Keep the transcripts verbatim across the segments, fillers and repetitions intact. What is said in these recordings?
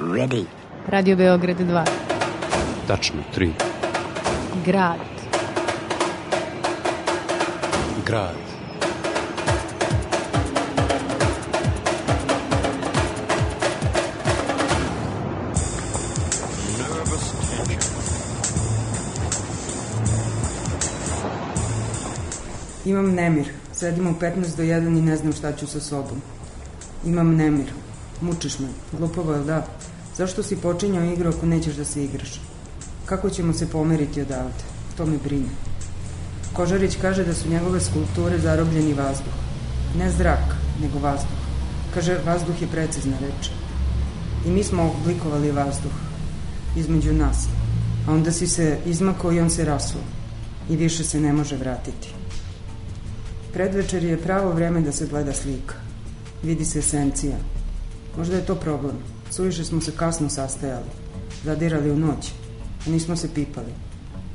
Ready. Radio Beograd dva. Tačno, tri. Grad. Grad. Imam nemir. Sedim u petnaest do jedan i ne znam šta ću sa sobom. Imam nemir. Mučiš me. Glupovo je, da? Zašto si počinjao igru ako nećeš da se igraš? Kako ćemo se pomeriti odavde? To me brine. Kožarić kaže da su njegove skulpture zarobljeni vazduh. Ne zrak, nego vazduh. Kaže, vazduh je precizna reč. I mi smo oblikovali vazduh. Između nas. A onda si se izmakao i on se rasuo. I više se ne može vratiti. Predvečer je pravo vreme da se gleda slika. Vidi se esencija. Možda je to problem. Suviše smo se kasno sastajali. Zadirali u noć. A nismo se pipali.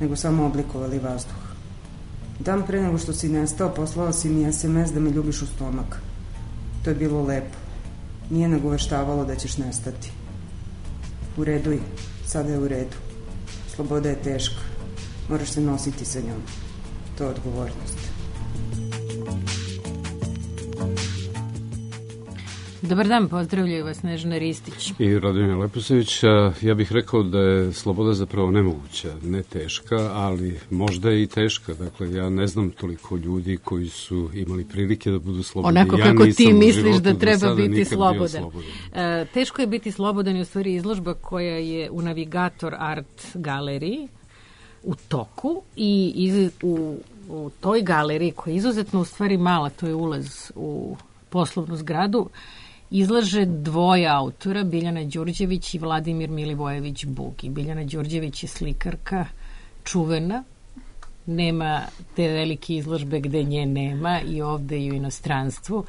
Nego samo oblikovali vazduh. Dan pre nego što si nestao, poslao si mi es em es da me ljubiš u stomak. To je bilo lepo. Nije nagoveštavalo da ćeš nestati. U redu je. Sada je u redu. Sloboda je teška. Moraš se nositi sa njom. To je odgovornost. Dobar dan, pozdravljaju vas Snežana Ristić i Radomir Leposević. Ja bih rekao da je sloboda zapravo nemoguća, ne teška, ali možda je i teška. Dakle, ja ne znam toliko ljudi koji su imali prilike da budu slobodni. Onako ja kako ti misliš da treba biti slobodan. slobodan. E, teško je biti slobodan i u stvari izložba koja je u Navigator Art galeriji u toku i iz, u, u toj galeriji koja je izuzetno u stvari mala, to je ulaz u poslovnu zgradu, izlaže dvoje autora, Biljana Đurđević i Vladimir Milivojević Bugi. Biljana Đurđević je slikarka, čuvena, nema te velike izložbe gde nje nema i ovde i u inostranstvu,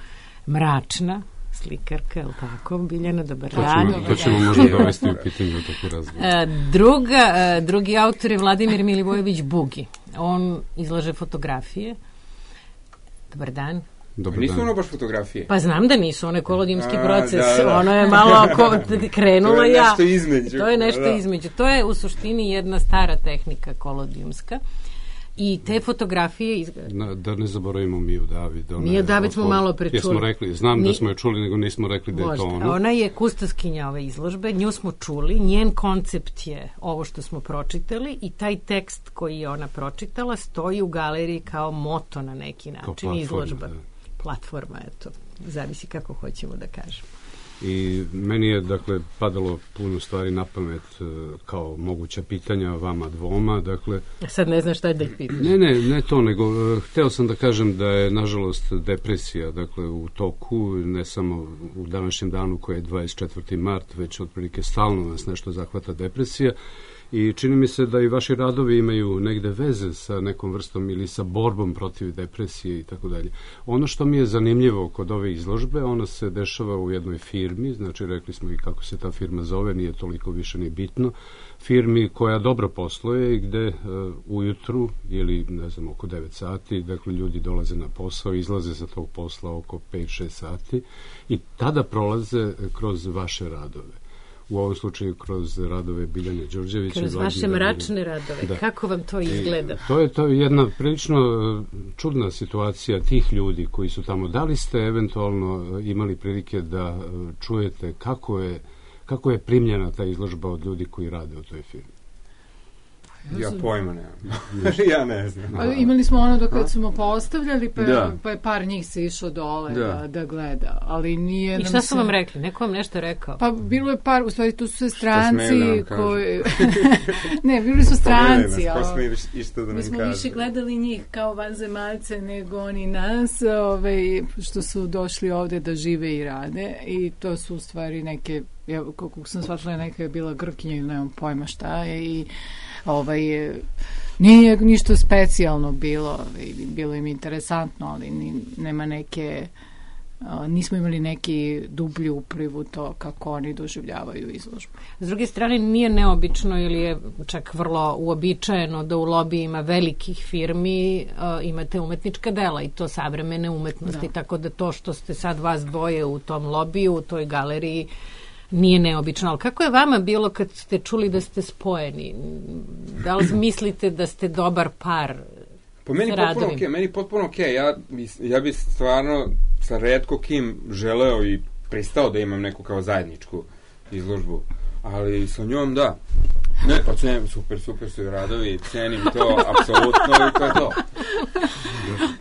mračna slikarka, je li tako? Biljana, dobar dan. To ćemo možda dovesti u pitanju toku razgovora. Druga, drugi autor je Vladimir Milivojević Bugi. On izlaže fotografije. Dobar dan. Dobar nisu dan. Ono baš fotografije. Pa znam da nisu, ono je kolodijumski proces. Da, da. Ono je malo ko, krenula ja. To je nešto između. To je nešto da. između. To je u suštini jedna stara tehnika kolodijumska. I te fotografije... Iz... Na, da ne zaboravimo Miju David. Miju David smo malo prečuli. Jesmo rekli, znam Ni... da smo je čuli, nego nismo rekli da je to ono. Ona je kustaskinja ove izložbe, nju smo čuli, njen koncept je ovo što smo pročitali i taj tekst koji je ona pročitala stoji u galeriji kao moto na neki način, izložba. Da. Platforma, eto, zavisi kako hoćemo da kažemo. I meni je, dakle, padalo puno stvari na pamet kao moguća pitanja vama dvoma, dakle... Sad ne znaš šta je da ih pitaš. Ne, ne, ne to, nego hteo sam da kažem da je, nažalost, depresija, dakle, u toku, ne samo u današnjem danu koji je dvadeset četvrti mart, već otprilike stalno nas nešto zahvata depresija. I čini mi se da i vaši radovi imaju negde veze sa nekom vrstom ili sa borbom protiv depresije i tako dalje. Ono što mi je zanimljivo kod ove izložbe, ona se dešava u jednoj firmi, znači rekli smo i kako se ta firma zove, nije toliko više ni bitno, firmi koja dobro posluje i gde uh, ujutru ili ne znam oko devet sati, dakle ljudi dolaze na posao, izlaze sa tog posla oko pet šest sati i tada prolaze kroz vaše radove. U ovom slučaju kroz radove Biljane Đurđevića. Kroz vaše mračne radove. Da. Kako vam to izgleda? I to je to jedna prilično čudna situacija tih ljudi koji su tamo. Da li ste eventualno imali prilike da čujete kako je, kako je primljena ta izložba od ljudi koji rade u toj firmi? Ja pojma nemam. Ja ne znam. A, imali smo ono da kad smo postavljali, pa, da. pa je par njih se išao dole da. Da, da gleda. Ali nije... I šta su se... vam rekli? Neko vam nešto rekao? Pa bilo je par, u stvari tu su sve stranci koji... ne, bili su stranci. Pa smo isto da nam mi smo kaže. više gledali njih kao vanzemaljce nego oni nas, ovaj, što su došli ovde da žive i rade. I to su u stvari neke, ja, kako sam shvatila, neka je bila Grkinja ili nemam pojma šta je i ovaj, nije ništa specijalno bilo, bilo im interesantno, ali ni, nema neke, nismo imali neki dublji upliv u to kako oni doživljavaju izložbu. S druge strane, nije neobično ili je čak vrlo uobičajeno da u lobijima velikih firmi uh, imate umetnička dela i to savremene umetnosti, da. Tako da to što ste sad vas dvoje u tom lobiju, u toj galeriji, nije neobično. Ali kako je vama bilo kad ste čuli da ste spojeni? Da li mislite da ste dobar par? Po meni potpuno okej, okay, meni potpuno okej. Okay. Ja, ja bi stvarno sa retko kim želeo i pristao da imam neku kao zajedničku izložbu. Ali sa njom da. Ne, pa cenim, super, super su i radovi, cenim to, apsolutno, i to je to.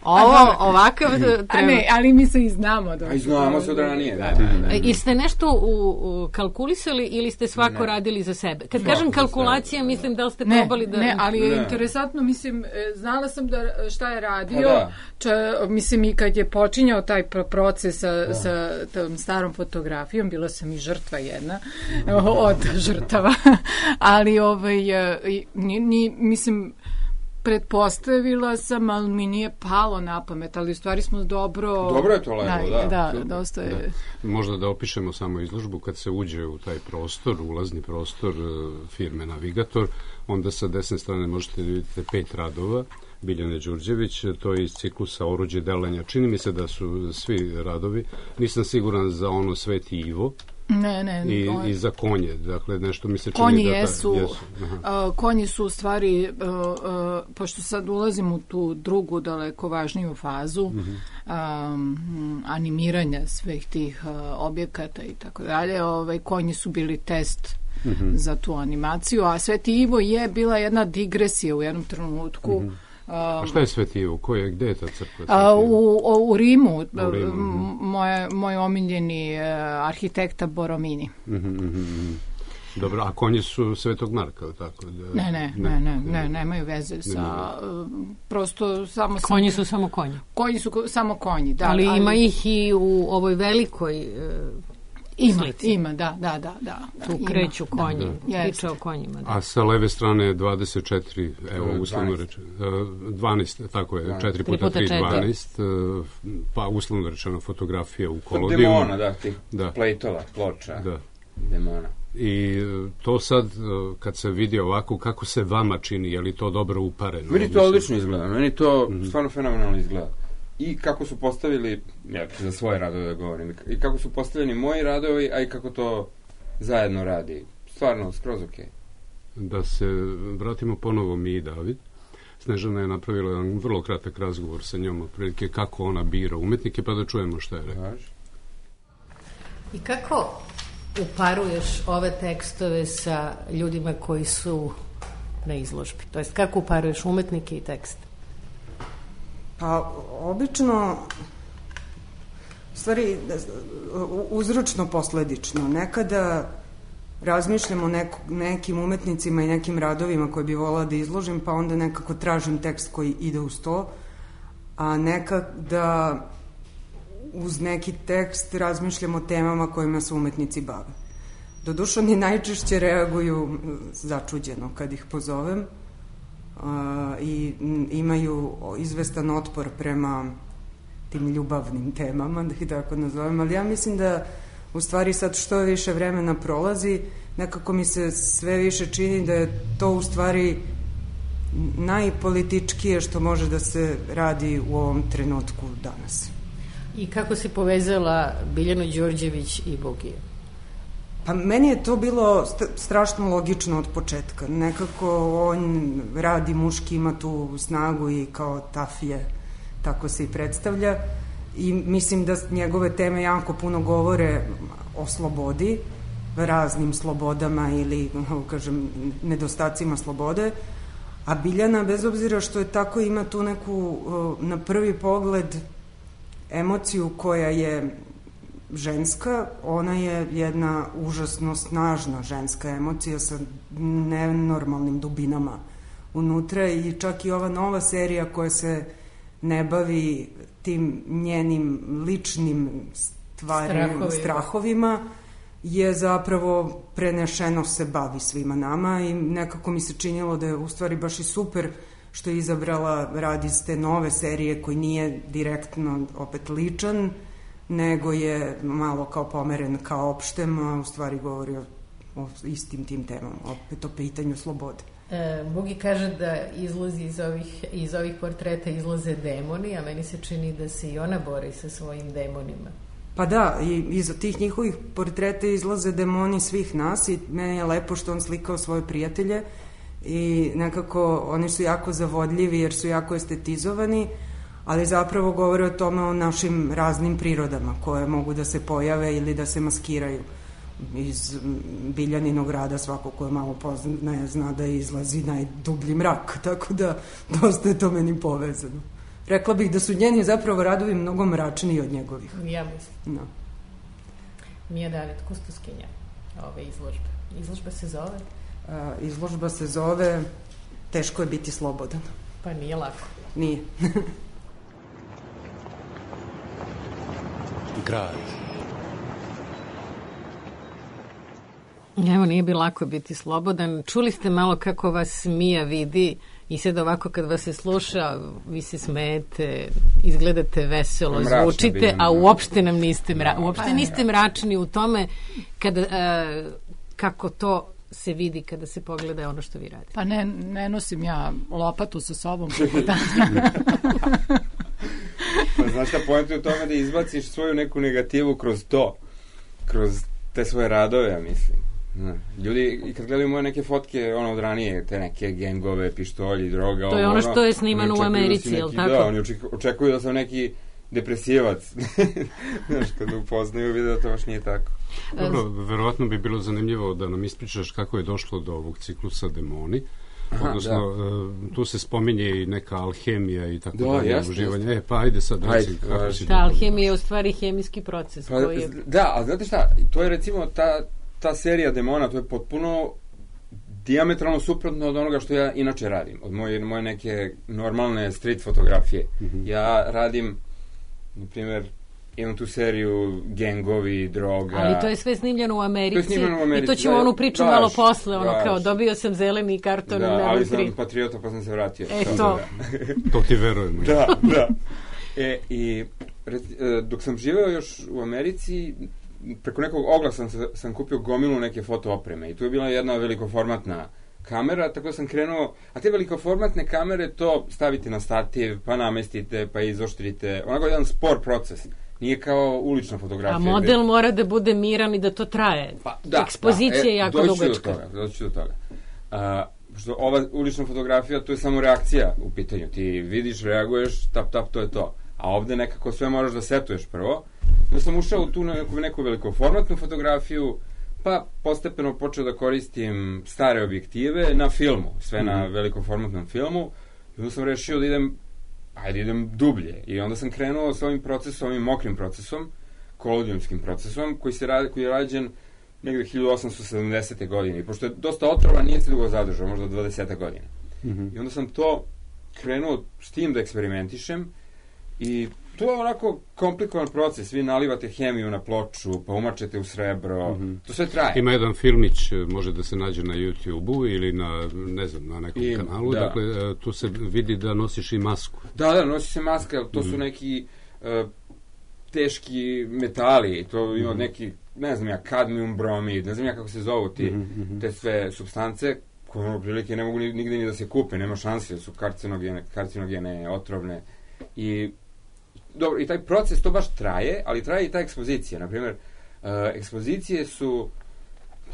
Ovo, ovakav treba... A ne, ali mi se i znamo. A i znamo se od ranije, da, da, da. I ste nešto u, u kalkulisali ili ste svako ne. radili za sebe? Kad svako kažem kalkulacija, mislim da li ste ne, probali da... Ne, ali je ne. interesantno, mislim, znala sam da šta je radio, da. Ča, mislim i kad je počinjao taj proces sa, da. sa tom starom fotografijom, bila sam i žrtva jedna od žrtava, ali ovaj, ni, ni, mislim, pretpostavila sam, ali mi nije palo na pamet, ali u stvari smo dobro... Dobro je to leglo, da. Da, da, dosta je... Da. Možda da opišemo samo izložbu, kad se uđe u taj prostor, ulazni prostor firme Navigator, onda sa desne strane možete vidjeti pet radova, Biljane Đurđević, to je iz ciklusa Oruđe delanja. Čini mi se da su svi radovi, nisam siguran za ono Sveti Ivo, Ne, ne. I, on... i za konje, dakle nešto mi se čini konji da... Ta, jesu, jesu. Uh, konji su u stvari, uh, uh, pošto sad ulazim u tu drugu daleko važniju fazu, uh-huh. um, animiranja svih tih uh, objekata i tako dalje, ovaj, konji su bili test uh-huh. za tu animaciju, a Sveti Ivo je bila jedna digresija u jednom trenutku. Uh-huh. A šta je Sveti Ivo? Ko je, gde je ta crkva? A, u, u Rimu, u Rimu moje, moj omiljeni uh, arhitekta Boromini. Mm-hmm, mm-hmm. Dobro, a konji su Svetog Marka, tako? Da, ne, ne, ne, ne, ne, nemaju veze sa, uh, prosto samo... Konji su samo konji. Konji su samo konji, da. Ali, ali ima ih i u ovoj velikoj... Uh, Ima, slici. ima, da, da, da, da. Tu ima. kreću konji, da. priča o konjima. Da. A sa leve strane je dvadeset četiri, evo, uslovno rečeno, dvanaest, tako je, četiri puta tri, dvanaest, pa uslovno rečeno fotografija u kolodiju. Demona, da, tih da. plejtova, ploča, da. Demona. I to sad, kad se vidi ovako, kako se vama čini, je li to dobro upareno? Meni to odlično izgleda, meni to mm-hmm. stvarno fenomenalno izgleda. I kako su postavili, ja ću za svoje radove da govorim, i kako su postavljeni moji radovi, a i kako to zajedno radi. Stvarno, skroz okej. Okay. Da se vratimo ponovo mi i David. Snežana je napravila jedan vrlo kratak razgovor sa njom, otprilike kako ona bira umetnike, pa da čujemo šta je rekao. I kako uparuješ ove tekstove sa ljudima koji su na izložbi? To jest, kako uparuješ umetnike i tekst? Pa, obično, u stvari, uzročno posledično. Nekada razmišljam o neko, nekim umetnicima i nekim radovima koje bi volila da izložim, pa onda nekako tražim tekst koji ide uz to, a nekada uz neki tekst razmišljam o temama kojima se umetnici bave. Doduše, oni najčešće reaguju začuđeno kad ih pozovem, Uh, i imaju izvestan otpor prema tim ljubavnim temama, da ih tako nazovem, ali ja mislim da u stvari sad što više vremena prolazi, nekako mi se sve više čini da je to u stvari najpolitičkije što može da se radi u ovom trenutku danas. I kako si povezala Biljanu Đorđević i Bogiju? Pa meni je to bilo strašno logično od početka. Nekako on radi muški, ima tu snagu i kao tafije, tako se i predstavlja. I mislim da njegove teme jako puno govore o slobodi, raznim slobodama ili, kažem, nedostacima slobode. A Biljana, bez obzira što je tako, ima tu neku, na prvi pogled, emociju koja je ženska, ona je jedna užasno snažna ženska emocija sa nenormalnim dubinama unutra i čak i ova nova serija koja se ne bavi tim njenim ličnim stvarima, strahovima. strahovima je zapravo prenešeno se bavi svima nama i nekako mi se činilo da je u stvari baš i super što je izabrala rad iz te nove serije koji nije direktno opet ličan, nego je malo kao pomeren kao opštem, a u stvari govori o, o istim tim temama, opet o pitanju slobode. E, Bugi kaže da izlazi iz ovih, iz ovih portreta izlaze demoni, a meni se čini da se i ona bori sa svojim demonima. Pa da, i iza tih njihovih portreta izlaze demoni svih nas i meni je lepo što on slikao svoje prijatelje i nekako oni su jako zavodljivi jer su jako estetizovani, ali zapravo govore o tome o našim raznim prirodama koje mogu da se pojave ili da se maskiraju. Iz Biljaninog rada svako ko je malo poznaje zna da izlazi najdublji mrak, tako da dosta je to meni povezano. Rekla bih da su njeni zapravo radovi mnogo mračniji od njegovih. Ja mislim. No. Mija David, kustoskinja ove izložbe. Izložba se zove? A, izložba se zove Teško je biti slobodan. Pa nije lako. Nije. Grad. Evo, nije bi lako biti slobodan. Čuli ste malo kako vas Mija vidi i sad ovako kad vas se sluša, vi se smejete, izgledate veselo, Mračna zvučite, bijem, a uopšte nam niste mračni. Uopšte niste mračni u tome kada, uh, kako to se vidi kada se pogleda ono što vi radite. Pa ne, ne nosim ja lopatu sa sobom. Pa znaš šta, poenta je u tome da izbaciš svoju neku negativu kroz to, kroz te svoje radove, ja mislim. No. Ljudi, i kad gledaju moje neke fotke ono od ranije, te neke gengove, pištolji, droga, to je ono što je snimano u Americi, da je li tako? Da, oni očekuju da sam neki depresivac. Znaš, kad upoznaju vide da to baš nije tako. Dobro, verovatno bi bilo zanimljivo da nam ispričaš kako je došlo do ovog ciklusa Demoni. Aha, odnosno, da. Tu se spominje i neka alhemija i tako da, dalje, uživanje. E, pa ajde sad, reci kako si... Ta alhemija je u stvari hemijski proces. Pa, koji je... Da, a znate šta, to je recimo ta, ta serija Demona, to je potpuno dijametralno suprotno od onoga što ja inače radim, od moje, moje neke normalne street fotografije. Mm-hmm. Ja radim, na primjer, imam tu seriju gengovi, droga. Ali to je sve snimljeno u Americi. To je snimljeno u Americi. I to ćemo da, onu priču daš, malo posle, ono daš. Kao dobio sam zeleni karton. Da, ali sam tri. Patriota pa sam se vratio. E to. To ti verujemo. Da, da. E, i dok sam živeo još u Americi, preko nekog oglasa sam, sam kupio gomilu neke foto opreme i tu je bila jedna velikoformatna kamera, tako da sam krenuo, a te velikoformatne kamere to stavite na stativ, pa namestite, pa izoštrite, onako jedan spor proces. Nije kao ulična fotografija. A model gde... mora da bude miran i da to traje. Pa, da, Ekspozicija da, je jako dugačka. Doći do toga, doći do toga. A, što ova ulična fotografija, to je samo reakcija u pitanju. Ti vidiš, reaguješ, tap, tap, to je to. A ovde nekako sve moraš da setuješ prvo. Da sam ušao u tu neku, neku velikoformatnu fotografiju, pa postepeno počeo da koristim stare objektive na filmu, sve mm-hmm. na velikoformatnom filmu. I onda sam rešio da idem ajde idem dublje. I onda sam krenuo s ovim procesom, ovim mokrim procesom, kolodijumskim procesom, koji, se radi, koji je rađen negde hiljadu osamsto sedamdesete godine. I pošto je dosta otrova, nije se dugo zadržao, možda dvadeseta godina. Mm-hmm. I onda sam to krenuo s tim da eksperimentišem i to je onako komplikovan proces. Vi nalivate hemiju na ploču, pa umačete u srebro. Mm-hmm. To sve traje. Ima jedan filmić, može da se nađe na YouTube-u ili na, ne znam, na nekom I, kanalu. Da. Dakle, tu se vidi da nosiš i masku. Da, da, nosi se maska, to mm-hmm. su neki uh, teški metali. To ima mm-hmm. neki, ne znam ja, kadmium bromid, ne znam ja kako se zovu ti, mm-hmm. te sve supstance koje ono prilike ne mogu nigde ni da se kupe, nema šanse, su karcinogene, karcinogene, otrovne. I dobro, i taj proces to baš traje, ali traje i ta ekspozicija. Naprimjer, uh, ekspozicije su,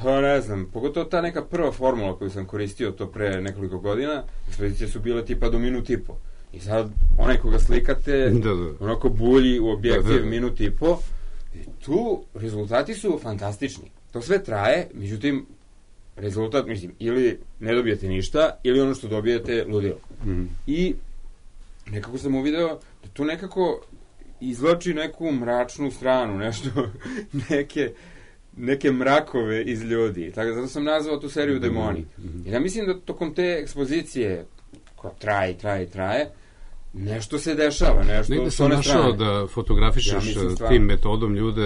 pa ne znam, pogotovo ta neka prva formula koju sam koristio to pre nekoliko godina, ekspozicije su bile tipa do minut i po. I sad, onaj koga slikate, da, da. onako bulji u objektiv da, da. minut i po, i tu rezultati su fantastični. To sve traje, međutim, rezultat, mislim, ili ne dobijete ništa, ili ono što dobijete, ludilo. Mm-hmm. I nekako sam uvideo da to nekako izvlači neku mračnu stranu, nešto, neke, neke mrakove iz ljudi. Tako da zato sam nazvao tu seriju Demoni. Mm-hmm. I ja mislim da tokom te ekspozicije, koja traje, traje, traje, nešto se dešava, nešto negde sam našao da fotografišeš ja tim metodom ljude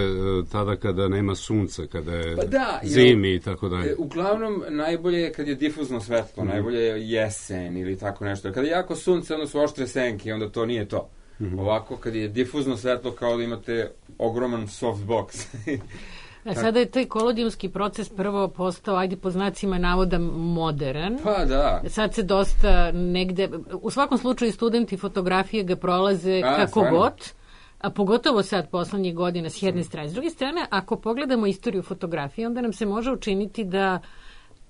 tada kada nema sunca, kada je pa da, zimi ja, i tako dalje. Uglavnom, najbolje je kad je difuzno svetlo, mm. najbolje je jesen ili tako nešto. Kada je jako sunce, onda su oštre senke, onda to nije to. Mm-hmm. Ovako, kad je difuzno svetlo, kao da imate ogroman softbox. A sada je taj kolodijumski proces prvo postao, ajde po znacima navoda, modern. Pa da. Sad se dosta negde, u svakom slučaju studenti fotografije ga prolaze A, kako stvarno? god, a pogotovo sad poslednjih godina s jedne strane. S druge strane, ako pogledamo istoriju fotografije, onda nam se može učiniti da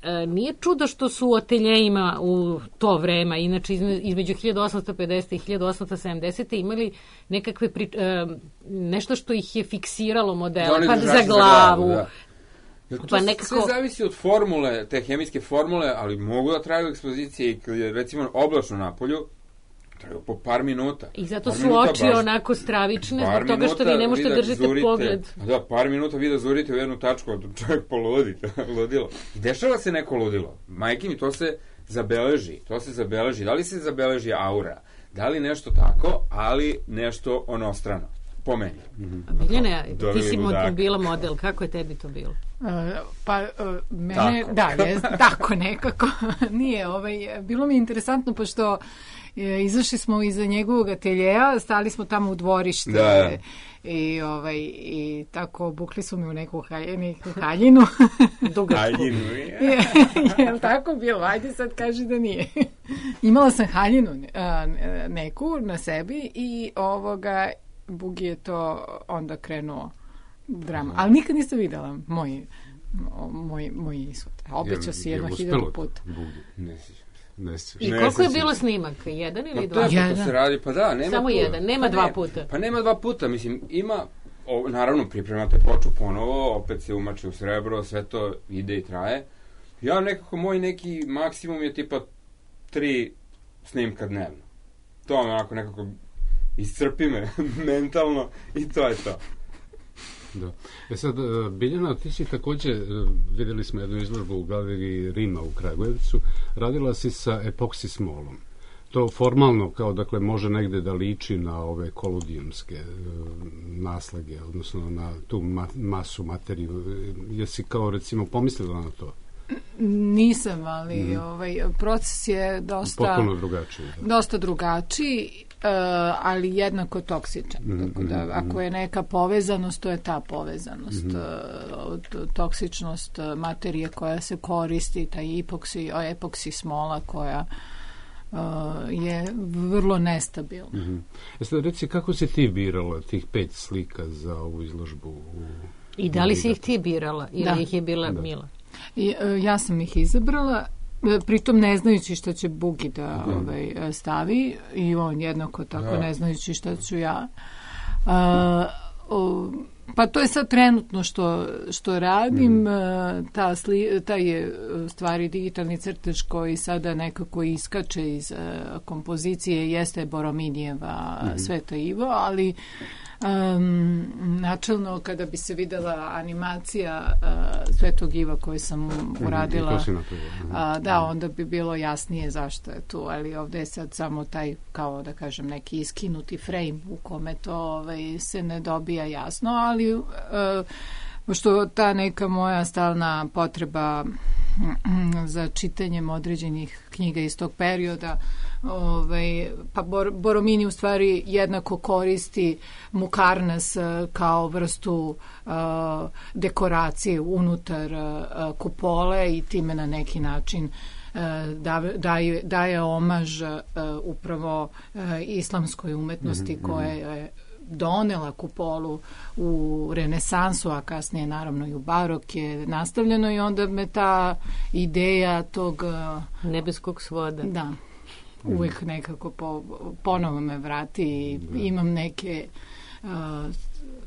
e, nije čudo što su u ateljejima u to vreme, inače između hiljadu osamsto pedesete i hiljadu osamsto sedamdesete imali nekakve pri, e, nešto što ih je fiksiralo modela, pa za glavu. Za glavu da. Ja, to pa nekako... sve zavisi od formule, te hemijske formule, ali mogu da traju ekspozicije i kad je recimo oblačno na polju, traju po par minuta. I zato par su oči baš, onako stravične, zbog toga što vi ne možete da držite zurite, pogled. Da, par minuta vi da zurite u jednu tačku, a čovjek poludi, ludilo. Dešava se neko ludilo. Majke mi, to se zabeleži, to se zabeleži. Da li se zabeleži aura? Da li nešto tako, ali nešto onostrano? Po meni. Mm-hmm. Biljana, ti si mod, bila model, kako je tebi to bilo? Uh, pa, uh, mene, tako. da, je, tako nekako. Nije, ovaj, bilo mi interesantno, pošto je, izašli smo iza njegovog ateljeja, stali smo tamo u dvorište da. i, ovaj, i tako obukli su mi u neku haljenu. haljinu. Haljinu, je. Je li tako bilo? Ajde sad kaži da nije. Imala sam haljinu a, neku na sebi i ovoga Bugi je to onda krenuo drama. Ali nikad nisam videla moj, moj, moj ishod. Obećao si jedno hiljadu puta. Ne ne I koliko je bilo snimak? Jedan ili dva? Jedan. To se radi, pa da, nema Samo puta. jedan, nema pa dva ne, puta. Pa nema dva puta, mislim, ima, o, naravno, pripremate ploču ponovo, opet se umače u srebro, sve to ide i traje. Ja nekako, moj neki maksimum je tipa tri snimka dnevno. To onako nekako iscrpi me mentalno i to je to. Da. E sad, Biljana, ti si takođe, videli smo jednu izložbu u galeriji Rima u Kragujevcu, radila si sa epoksi smolom. To formalno, kao dakle, može negde da liči na ove koludijumske naslage, odnosno na tu ma masu materiju. Jesi kao, recimo, pomislila na to? Nisam, ali mm. ovaj, proces je dosta... Potpuno drugačiji. Da. Dosta drugačiji. Uh, ali jednako toksičan. Mm, tako da, mm, ako je neka povezanost, to je ta povezanost. Mm. Uh, toksičnost materije koja se koristi, taj epoksi, epoksi smola koja uh, je vrlo nestabilna. Mm. Jeste, reci, kako si ti birala tih pet slika za ovu izložbu? U... I da li si ih ti birala ili da. ih je bila da. Mila? I, uh, ja sam ih izabrala, pritom ne znajući šta će Bugi da mm. ovaj, stavi i on jednako tako da. Ne znajući šta ću ja. A, o, pa to je sad trenutno što, što radim. Mm. Ta, sli, ta je stvari digitalni crtež koji sada nekako iskače iz uh, kompozicije, jeste Borominijeva mm. Sveta Ivo, ali Um, načelno kada bi se videla animacija uh, Svetog Iva koju sam uradila mm, uh, da, onda bi bilo jasnije zašto je tu, ali ovde je sad samo taj, kao da kažem, neki iskinuti frame u kome to ovaj, se ne dobija jasno, ali uh, pošto ta neka moja stalna potreba za čitanjem određenih knjiga iz tog perioda, ovaj, pa Bor, Boromini u stvari jednako koristi mukarnas kao vrstu uh, dekoracije unutar uh, kupole i time na neki način uh, daje, daje omaž uh, upravo uh, islamskoj umetnosti mm-hmm. koja je donela kupolu u renesansu, a kasnije naravno i u barok je nastavljeno i onda me ta ideja tog nebeskog svoda da, uvek nekako po, ponovo me vrati i imam neke uh,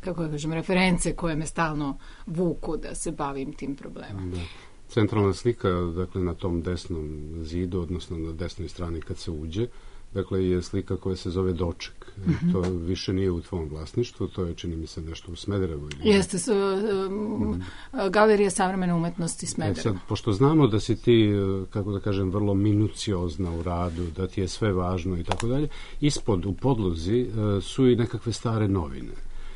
kako da kažem, reference koje me stalno vuku da se bavim tim problemom. Da. Centralna slika, dakle, na tom desnom zidu, odnosno na desnoj strani kad se uđe, dakle, je slika koja se zove Doček. Mm-hmm. To više nije u tvom vlasništvu, to je, čini mi se, nešto u Smederevu. Ili... Jeste, s, um, Galerija savremene umetnosti Smederevo. E sad, pošto znamo da si ti, kako da kažem, vrlo minuciozna u radu, da ti je sve važno i tako dalje, ispod, u podlozi, su i nekakve stare novine.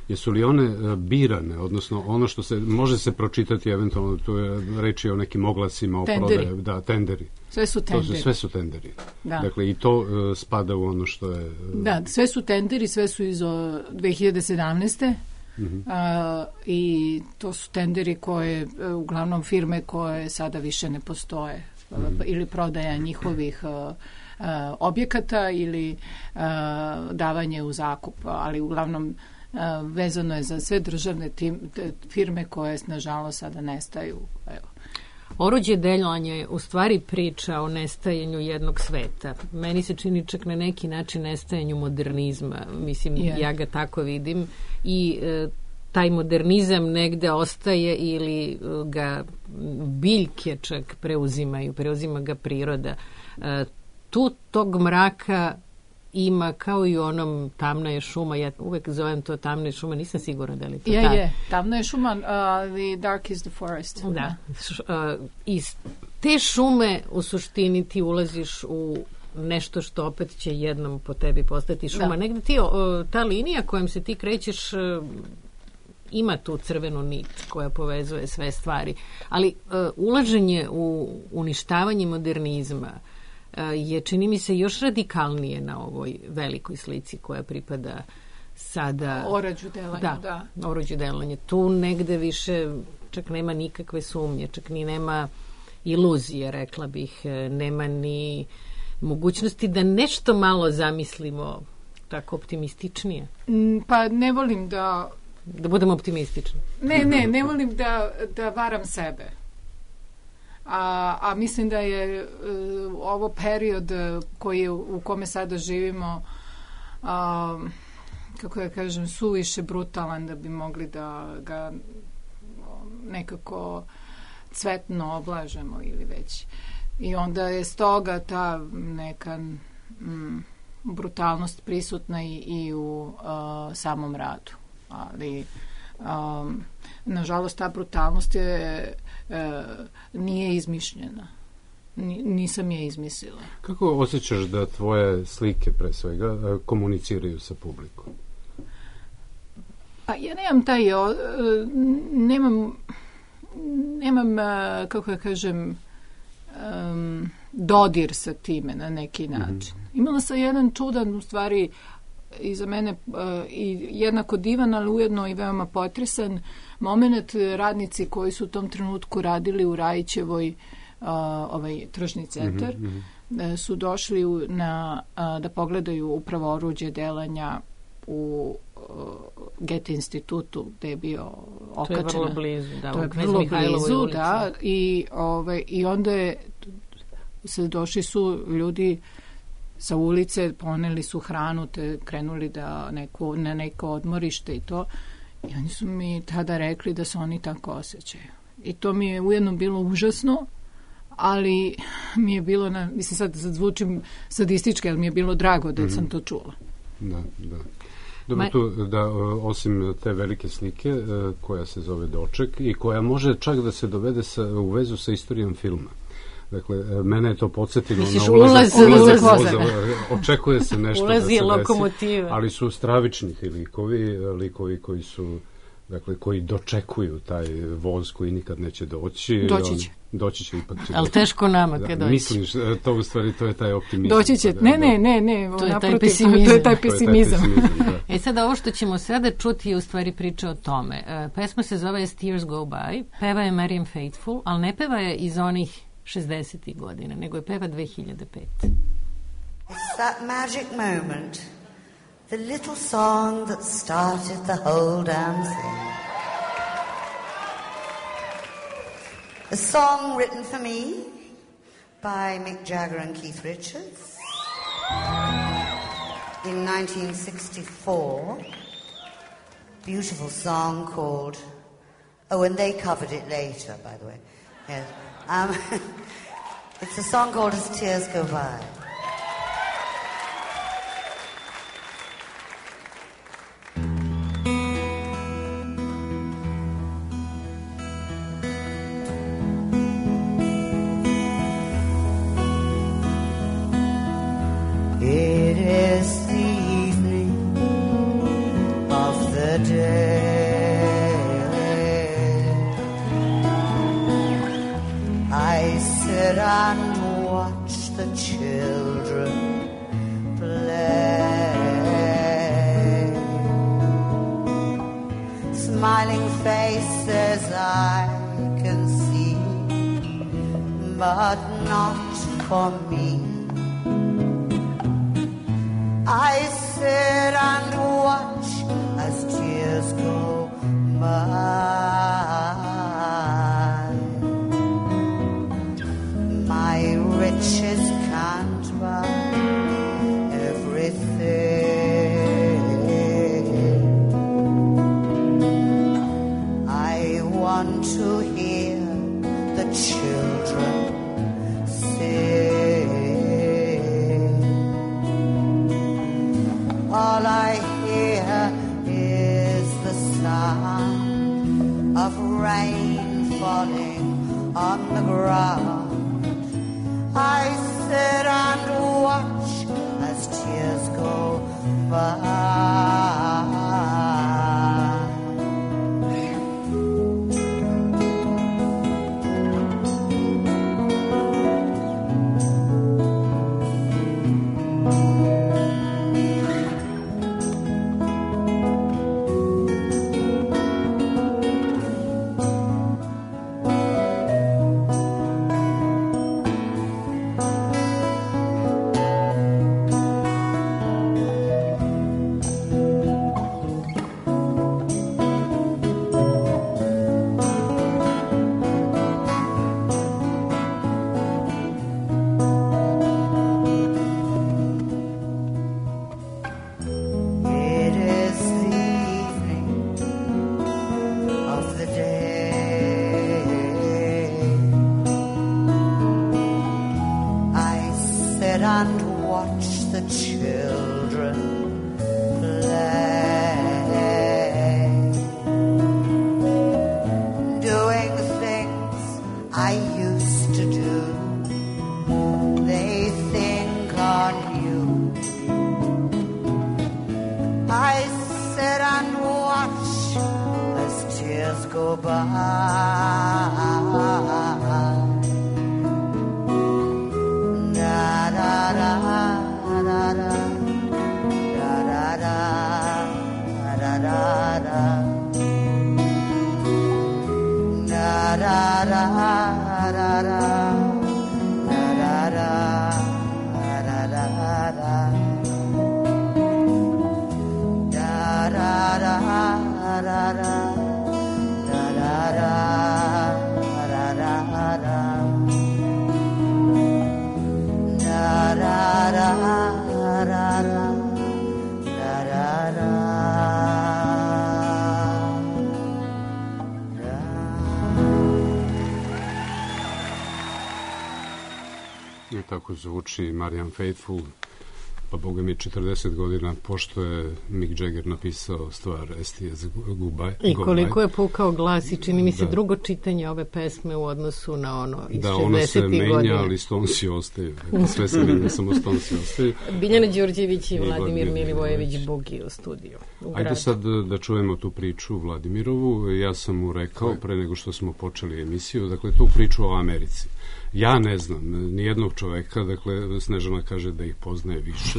Jesu li one birane, odnosno ono što se može se pročitati eventualno, tu je reči o nekim oglasima o prodaje, da, tenderi. Sve su tenderi. To su, sve su tenderi. Da. Dakle, i to uh, spada u ono što je... Uh, da, sve su tenderi, sve su iz uh, dve hiljade sedamnaeste. Uh-huh. Uh, i to su tenderi koje, uh, uglavnom firme koje sada više ne postoje. Uh, uh-huh. Ili prodaja njihovih uh, uh, objekata ili uh, davanje u zakup, ali uglavnom vezano je za sve državne tim, firme koje nažalost sada nestaju. Evo. Oruđe delovanja je u stvari priča o nestajanju jednog sveta. Meni se čini čak na neki način nestajanju modernizma. Mislim, yeah. ja ga tako vidim. I e, taj modernizam negde ostaje ili ga biljke čak preuzimaju, preuzima ga priroda. E, tu tog mraka ima kao i u onom Tamna je šuma, ja uvek zovem to Tamna je šuma, nisam sigurna da li to je, ta... je, Tamna je šuma, uh, the dark is the forest. Da, uh, iz te šume u suštini ti ulaziš u nešto što opet će jednom po tebi postati šuma. Da. Negde ti, uh, ta linija kojom se ti krećeš uh, ima tu crvenu nit koja povezuje sve stvari, ali uh, ulaženje u uništavanje modernizma je, čini mi se, još radikalnije na ovoj velikoj slici koja pripada sada... Orađu delanja, da. Da, orađu delanja. Tu negde više čak nema nikakve sumnje, čak ni nema iluzije, rekla bih, nema ni mogućnosti da nešto malo zamislimo tako optimističnije. Pa ne volim da... Da budemo optimistični. Ne, ne, ne volim da, da varam sebe. A, a mislim da je uh, ovo period koji je, u kome sada živimo uh, kako ja kažem, suviše brutalan da bi mogli da ga nekako cvetno oblažemo ili već. I onda je stoga ta neka mm, brutalnost prisutna i, i u uh, samom radu. Ali um, nažalost ta brutalnost je E, nije izmišljena. N- nisam je izmislila. Kako osjećaš da tvoje slike pre svega komuniciraju sa publikom? Pa ja nemam taj o, nemam nemam kako ja kažem um, dodir sa time na neki način. Mm-hmm. Imala sam jedan čudan, u stvari i za mene uh, i jednako divan, ali ujedno i veoma potresan moment. Radnici koji su u tom trenutku radili u Rajićevoj uh, ovaj tržni centar mm-hmm. su došli u, na, uh, da pogledaju upravo oruđe delanja u uh, Goethe institutu gde je bio okačena. To je vrlo blizu, da. To je vrlo blizu, da. I, ovaj, i onda je se došli su ljudi sa ulice, poneli su hranu, te krenuli da neko, na neko odmorište i to. I oni su mi tada rekli da se oni tako osjećaju. I to mi je ujedno bilo užasno, ali mi je bilo, na, mislim sad, sad zvučim sadistički, ali mi je bilo drago da mm-hmm. sam to čula. Da, da. Dobro, Ma... tu, da, osim te velike slike koja se zove Doček i koja može čak da se dovede sa, u vezu sa istorijom filma. Dakle, mene je to podsjetilo Misliš, na ulaz, ulaz, ulaz, ulaz, ulaz, očekuje se nešto ulazi da se lokomotive. Desi, ali su stravični ti likovi, likovi koji su, dakle, koji dočekuju taj voz koji nikad neće doći. Doći će. Doći će ipak. Će ali doći. Teško nama da, kad doći. Misliš, to u stvari, to je taj optimizam. Doći će, ne, ne, ne, ne. To je naprotiv, taj pesimizam. To je taj pesimizam. To je taj pesimizam da. E sada ovo što ćemo sada čuti je u stvari priča o tome. Uh, pesma se zove As Tears Go By, peva je Marianne Faithfull, ali ne peva je iz onih šezdesetih godina, nego je peva dve hiljade pete. It's that magic moment, the little song that started the whole damn thing. A song written for me by Mick Jagger and Keith Richards in nineteen sixty-four. Beautiful song called, oh, and they covered it later, by the way. Yes. Um, it's a song called As Tears Go By. It is the evening of the day. I sit and watch the children play. Smiling faces I can see, but not for me. I sit and watch as tears go by. My riches can't buy everything. I want to hear the children sing. All I hear is the sound of rain falling on the ground. I sit and watch as tears go by. Tako zvuči Marianne Faithfull, pa boga mi četrdeset godina pošto je Mick Jagger napisao stvar S T S Goodbye. I koliko je pukao glas i čini mi se da. Drugo čitanje ove pesme u odnosu na ono iz da, šezdesetih godina. Da, ono se menja, ali Stonesi ostaju. Dakle, sve se menja, samo Stonesi ostaju. Biljana Đurđević i, I Vladimir, Vladimir Milivojević Bugi u studiju. U Ajde sad da čujemo tu priču Vladimirovu. Ja sam mu rekao pre nego što smo počeli emisiju, dakle tu priču o Americi. Ja ne znam nijednog čoveka, dakle Snežana kaže da ih poznaje više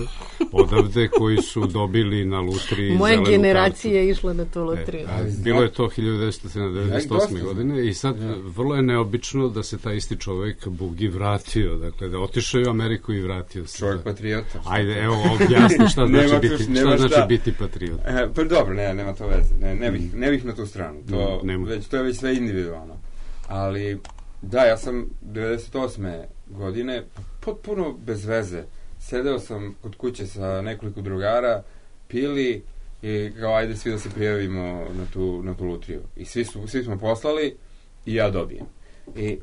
odavde, koji su dobili na lutriji moja generacija je išla na tu lutriju. E, bilo je to hiljadu devetsto devedeset osme godine i sad ja. Vrlo je neobično da se taj isti čovek Bugi vratio, dakle da otišao u Ameriku i vratio se. Čovjek patriota. Ajde, evo objasni šta znači, biti, šta znači šta. biti patriot. E, pa dobro, ne, nema to veze, ne, ne, bih, ne bih na tu stranu, to, ne, već, to je već sve individualno, ali da, ja sam devedeset osme godine potpuno bez veze. Sedeo sam kod kuće sa nekoliko drugara, pili i kao ajde svi da se prijavimo na tu, na tu lutriju. I svi, su, svi smo poslali i ja dobijem. I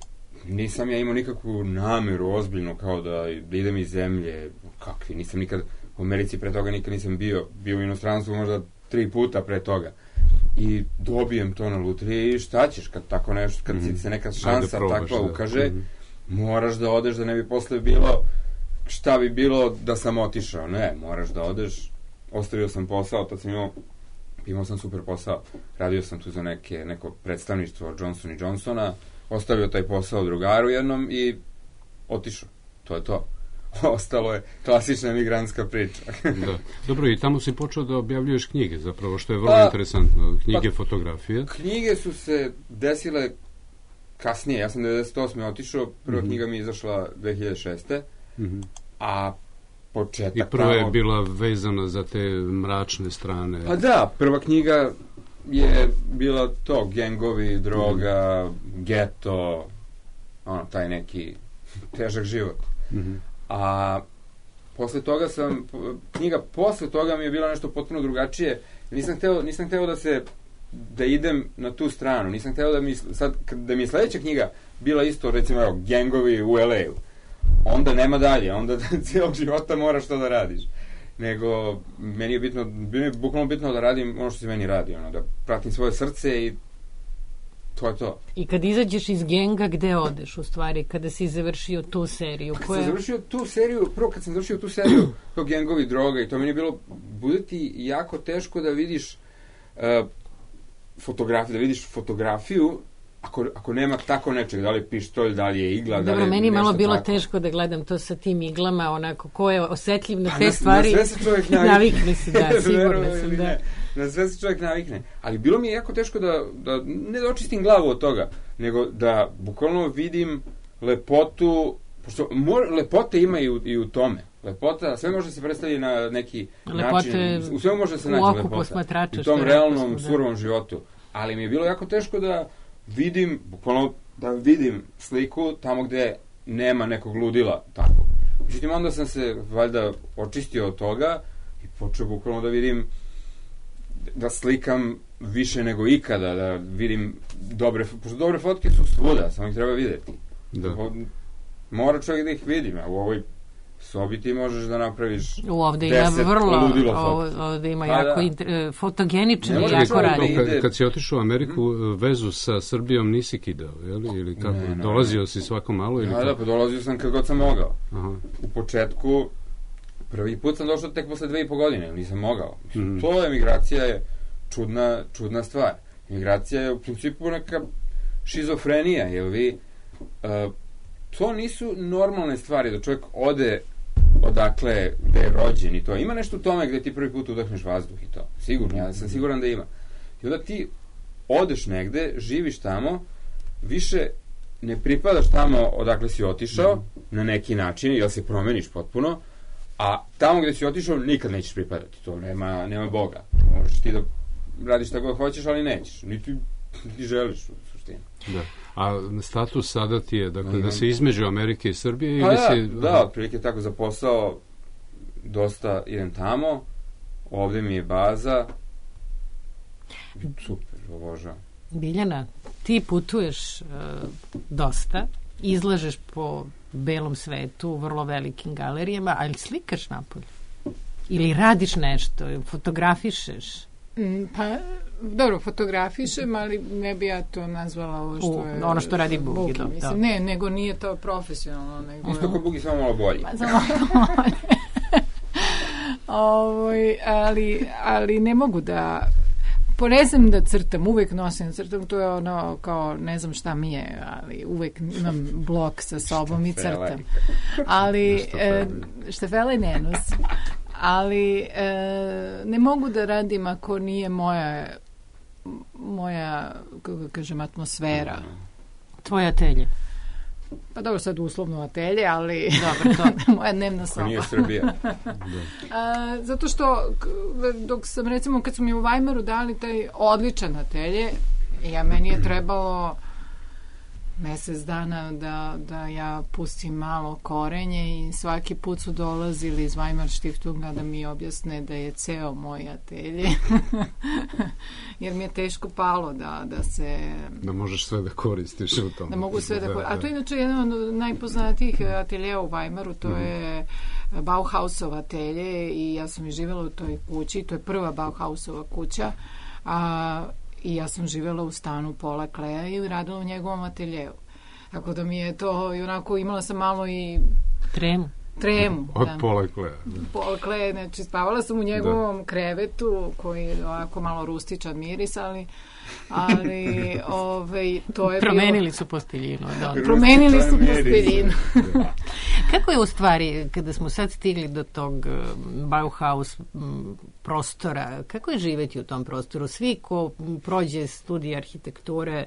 nisam ja imao nikakvu nameru ozbiljno kao da, da idem iz zemlje. Kakvi, nisam nikad u Americi pre toga nikad nisam bio. Bio u inostranstvu možda tri puta pre toga. I dobijem to na lutriji i šta ćeš kad tako nešto, kad mm-hmm. se neka šansa probaš, takva da. ukaže, mm-hmm. moraš da odeš da ne bi posle bilo šta bi bilo da sam otišao. Ne, moraš da odeš. Ostavio sam posao, tad sam imao, imao sam super posao. Radio sam tu za neke, neko predstavništvo Johnson and Johnsona, ostavio taj posao drugaru jednom i otišao. To je to. Ostalo je klasična migrantska priča. Da. Dobro, i tamo si počeo da objavljuješ knjige, zapravo, što je vrlo pa, interesantno. Knjige, pa, fotografije. Knjige su se desile kasnije. Ja sam devedeset osme otišao, prva mm-hmm. knjiga mi je izašla dve hiljade šeste. Mm-hmm. A početak. I prva je tamo. bila vezana za te mračne strane. Pa da, prva knjiga je bila to, gengovi, droga, mm. geto, ono, taj neki težak život. Mm-hmm. A posle toga sam, knjiga posle toga mi je bila nešto potpuno drugačije. Nisam hteo, nisam hteo da se, da idem na tu stranu. Nisam hteo da mi, sad, da mi je sledeća knjiga bila isto, recimo, evo, gengovi u L A-u. Onda nema dalje, onda cijelog života moraš to da radiš. Nego, meni je bitno, meni je bukvalno bitno da radim ono što se meni radi, ono, da pratim svoje srce i to je to. I kad izađeš iz genga, gde odeš u stvari, kada si završio tu seriju? Kad koja... sam završio tu seriju, prvo kad sam završio tu seriju, to gengovi, droga i to meni je bilo, bude ti jako teško da vidiš uh, fotografiju, da vidiš fotografiju Ako, ako nema tako nečeg, da li je pištolj, da li je igla, Dobro, da li je meni je malo bilo tako. teško da gledam to sa tim iglama, onako, ko je osetljiv na Pa te na, stvari. Na sve se čovjek navikne. Navikne se, da, sigurno sam, da. Ne. Na sve se čovjek navikne. Ali bilo mi je jako teško da, da ne da očistim glavu od toga, nego da bukvalno vidim lepotu, pošto mor, lepote ima i u, i u tome. Lepota, sve može se predstaviti na neki lepote način. U svemu može se naći lepota. U tom realnom, da. surovom životu. Ali mi je bilo jako teško da vidim, bukvalno da vidim sliku tamo gde nema nekog ludila tako. Međutim, onda sam se valjda očistio od toga i počeo bukvalno da vidim, da slikam više nego ikada, da vidim dobre, pošto dobre fotke su svuda, samo ih treba videti. Da. Mora čovjek da ih vidi, a u ovoj sobi ti možeš da napraviš ovde ima vrlo, ludilo fotke. Ovde ima pa jako da. inter, fotogeničan i ne jako radi. Kad, kad si otišao u Ameriku, hmm. vezu sa Srbijom nisi kidao, jeli? Ili kako? Ne, ne, dolazio ne. si svako malo? Ili da, da, pa dolazio sam kad god sam mogao. Aha. U početku, prvi put sam došao tek posle dve i po godine, nisam mogao. Hmm. To emigracija je čudna, čudna stvar. Emigracija je u principu neka šizofrenija, jer vi... Uh, to nisu normalne stvari, da čovjek ode odakle, gde je rođen i to. Ima nešto u tome gde ti prvi put udahneš vazduh i to. Sigurno, ja sam siguran da ima. I onda ti odeš negde, živiš tamo, više ne pripadaš tamo odakle si otišao, mm. na neki način, jer se promeniš potpuno, a tamo gde si otišao nikad nećeš pripadati. To nema, nema Boga. Možeš ti da radiš tako hoćeš, ali nećeš. Niti ti želiš u suštini. Da. A status sada ti je, dakle, da se između Amerike i Srbije? Pa ili da, si... da, otprilike tako za posao dosta idem tamo, ovde mi je baza, super, obožavam. Biljana, ti putuješ uh, dosta, izlažeš po belom svetu, vrlo velikim galerijama, ali slikaš napolje? Ili radiš nešto, fotografišeš? Mm, pa, dobro, fotografišem, ali ne bi ja to nazvala ovo što je... Ono što radi Bugi, Bugi da, mislim. da. Ne, nego nije to profesionalno. Nego... Isto kod Bugi, samo malo bolje. Pa, samo malo bolje. Ovoj, ali, ali ne mogu da... Ponezam da crtam, uvek nosim crtam, to je ono kao, ne znam šta mi je, ali uvek imam blok sa sobom i crtam. Ali, štafele ne nosim. Ali e, ne mogu da radim ako nije moja moja, kako kažem, atmosfera. Tvoje atelje. Pa dobro, sad uslovno atelje, ali dobro, to. moja dnevna soba. Ako nije Srbija. A, zato što dok sam, recimo, kad su mi u Weimaru dali taj odličan atelje, ja, meni je trebalo mesec dana da, da ja pustim malo korenje i svaki put su dolazili iz Weimar Stiftunga da mi objasne da je ceo moj atelje. Jer mi je teško palo da, da se... Da možeš sve da koristiš u tom. Da mogu sve da koristim. A to je inače jedan od najpoznatijih ateljeja u Weimaru, to mm-hmm. je Bauhausov atelje i ja sam i živjela u toj kući, to je prva Bauhausova kuća, a i ja sam živjela u stanu Paula Kleja i radila u njegovom ateljevu. Tako da mi je to, i onako imala sam malo i... Tremu. Tremu. Od da. Paula Kleja. Paula Kleja, znači spavala sam u njegovom da. krevetu, koji je ovako malo rustičan miris, ali... ali ovaj, to je promenili bilo... su posteljinu. Da. Promenili su posteljinu. Kako je u stvari, kada smo sad stigli do tog Bauhaus prostora, kako je živeti u tom prostoru? Svi ko prođe studij arhitekture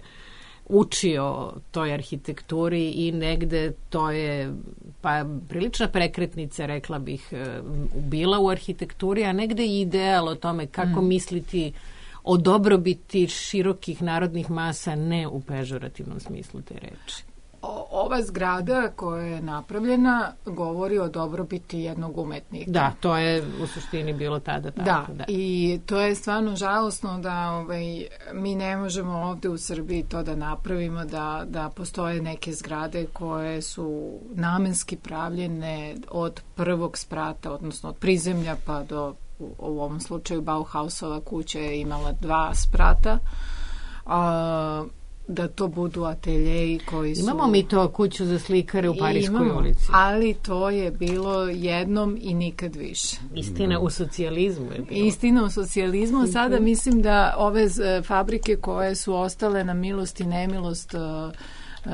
uči o toj arhitekturi i negde to je pa prilična prekretnica, rekla bih, bila u arhitekturi, a negde i ideal o tome kako mm. misliti o dobrobiti širokih narodnih masa, ne u pežorativnom smislu te reči. O, ova zgrada koja je napravljena govori o dobrobiti jednog umetnika. Da, to je u suštini bilo tada tako. Da, da. I to je stvarno žalosno da ovaj, mi ne možemo ovde u Srbiji to da napravimo, da, da postoje neke zgrade koje su namenski pravljene od prvog sprata, odnosno od prizemlja pa do, u, u ovom slučaju Bauhausova kuća je imala dva sprata, a da to budu ateljeji koji su... Imamo mi to kuću za slikare u Pariskoj imamo, ulici. Ali to je bilo jednom i nikad više. Istina u socijalizmu je bilo. Istina u socijalizmu. Sada mislim da ove fabrike koje su ostale na milost i nemilost uh, uh,